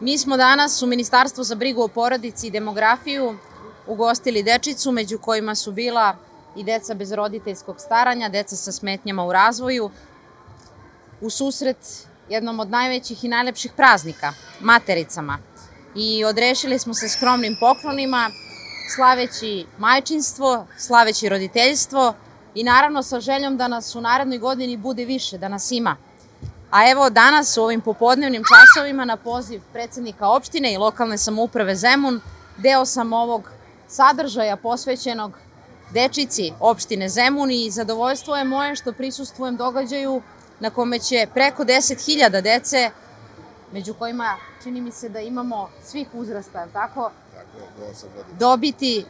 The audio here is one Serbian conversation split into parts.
Mi smo danas u Ministarstvu za brigu o porodici i demografiju ugostili dečicu, među kojima su bila i deca bez roditeljskog staranja, deca sa smetnjama u razvoju, u susret jednom od najvećih i najlepših praznika, matericama. I odrešili smo se skromnim poklonima, slaveći majčinstvo, slaveći roditeljstvo i naravno sa željom da nas u narednoj godini bude više, da nas ima. A evo danas u ovim popodnevnim časovima na poziv predsednika opštine i lokalne samouprave Zemun deo sam ovog sadržaja posvećenog dečici opštine Zemun i zadovoljstvo je moje što prisustvujem događaju na kome će preko 10.000 dece, među kojima čini mi se da imamo svih uzrasta, tako?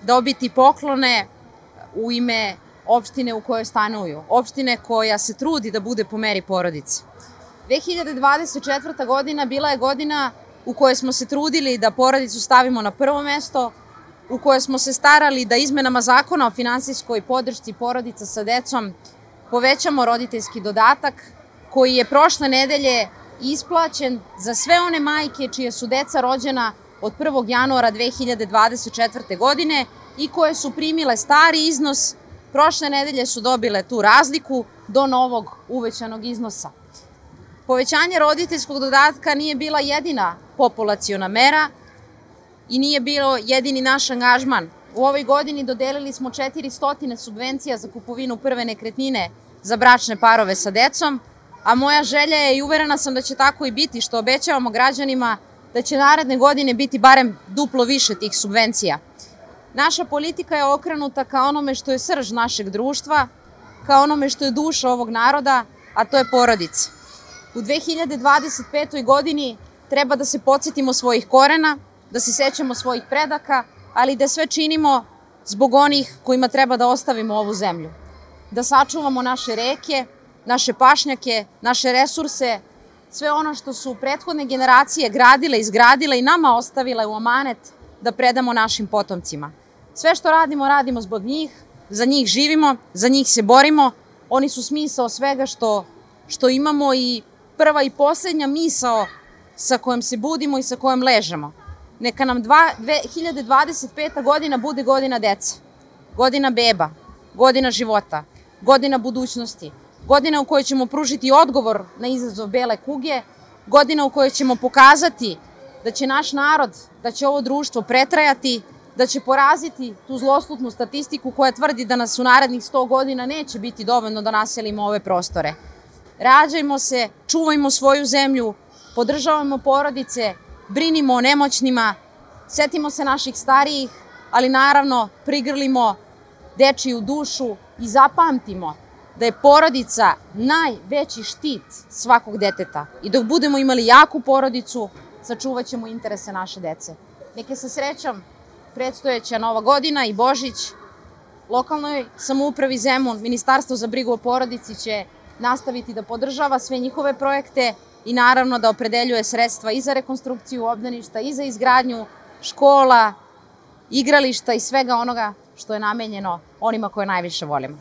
Dobiti poklone u ime opštine u kojoj stanuju, opštine koja se trudi da bude po meri porodice. 2024. godina bila je godina u kojoj smo se trudili da porodicu stavimo na prvo mesto, u kojoj smo se starali da izmenama zakona o finansijskoj podršci porodica sa decom povećamo roditeljski dodatak koji je prošle nedelje isplaćen za sve one majke čije su deca rođena od 1. januara 2024. godine i koje su primile stari iznos, prošle nedelje su dobile tu razliku do novog uvećanog iznosa. Povećanje roditeljskog dodatka nije bila jedina populaciona mera i nije bilo jedini naš angažman. U ovoj godini dodelili smo 400 subvencija za kupovinu prve nekretnine za bračne parove sa decom, a moja želja je i uverena sam da će tako i biti, što obećavamo građanima da će naredne godine biti barem duplo više tih subvencija. Naša politika je okrenuta ka onome što je srž našeg društva, ka onome što je duša ovog naroda, a to je porodica. U 2025. godini treba da se podsjetimo svojih korena, da se sećamo svojih predaka, ali da sve činimo zbog onih kojima treba da ostavimo ovu zemlju. Da sačuvamo naše reke, naše pašnjake, naše resurse, sve ono što su prethodne generacije gradile, izgradile i nama ostavile u amanet da predamo našim potomcima. Sve što radimo, radimo zbog njih, za njih živimo, za njih se borimo, oni su smisao svega što imamo i prva i poslednja misao sa kojom se budimo i sa kojom ležemo. Neka nam 2025. godina bude godina dece, godina beba, godina života, godina budućnosti, godina u kojoj ćemo pružiti odgovor na izazov bele kuge, godina u kojoj ćemo pokazati da će naš narod, da će ovo društvo pretrajati, da će poraziti tu zloslutnu statistiku koja tvrdi da nas u narednih 100 godina neće biti dovoljno da naselimo ove prostore. Rađajmo se, čuvajmo svoju zemlju, podržavamo porodice, brinimo o nemoćnima, setimo se naših starijih, ali naravno prigrlimo dečiju dušu i zapamtimo da je porodica najveći štit svakog deteta. I dok budemo imali jaku porodicu, sačuvat ćemo interese naše dece. Neke sa srećom predstojeća Nova godina i Božić, lokalnoj samoupravi Zemun, Ministarstvo za brigu o porodici će nastaviti da podržava sve njihove projekte i naravno da opredeljuje sredstva i za rekonstrukciju obdaništa i za izgradnju škola, igrališta i svega onoga što je namenjeno onima koje najviše volimo.